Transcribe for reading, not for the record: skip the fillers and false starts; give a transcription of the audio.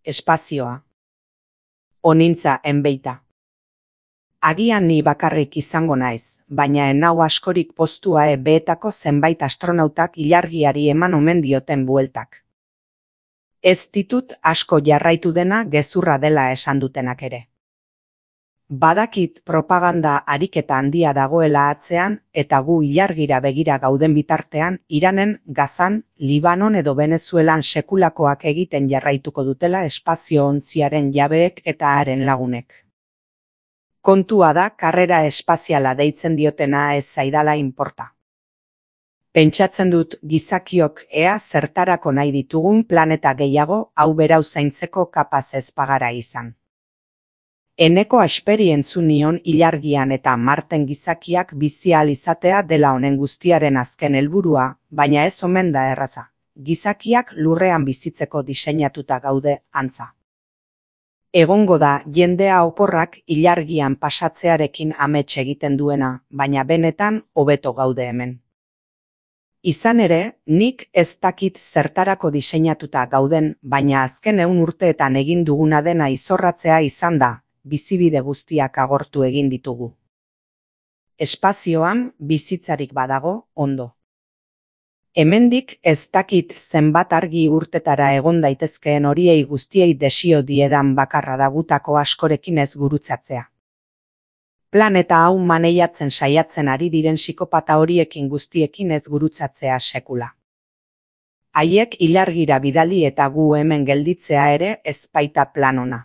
Espazioa. Onintza enbeita. Agian ni bakarrik izango naiz, baina enau askorik postua beetako zenbait astronautak ilargiari eman omen dioten bueltak. Ez ditut asko jarraitu dena gezurra dela esan dutenak ere. Badakit propaganda ariketa handia dagoela atzean eta gu ilargira begira gauden bitartean Iranen, Gazan, Libanon edo Venezuelan sekulakoak egiten jarraituko dutela espazio-ontziaren jabeek eta haren lagunek. Kontua da karrera espaziala deitzen diotena ez zaidala inporta. Pentsatzen dut gizakiok ea zertarako nahi ditugun planeta gehiago hau berau zaintzeko kapaz ez bagara izan. Eneko esperientzu nion ilargian eta Marten gizakiak bizi ahal izatea dela honen guztiaren azken helburua, baina ez omen da erraza. Gizakiak lurrean bizitzeko diseinatuta gaude antza. Egongo da jendea oporrak ilargian pasatzearekin amets egiten duena, baina benetan hobeto gaude hemen. Izan ere, nik ez dakit zertarako diseinatuta gauden, baina azken 100 urteetan egin duguna dena izorratzea izan da, bizibide guztiak agortu egin ditugu. Espazioan bizitzarik badago, ondo. Hemendik ez dakit zenbat argi urtetara egon daitezkeen horiei guztiei desio diedan bakarra da gutako askorekin ez gurutzatzea. Planeta hau maneiatzen saiatzen ari diren psikopata horiekin guztiekin ez gurutzatzea sekula. Haiek ilargira bidali eta gu hemen gelditzea ere ez baita plan ona.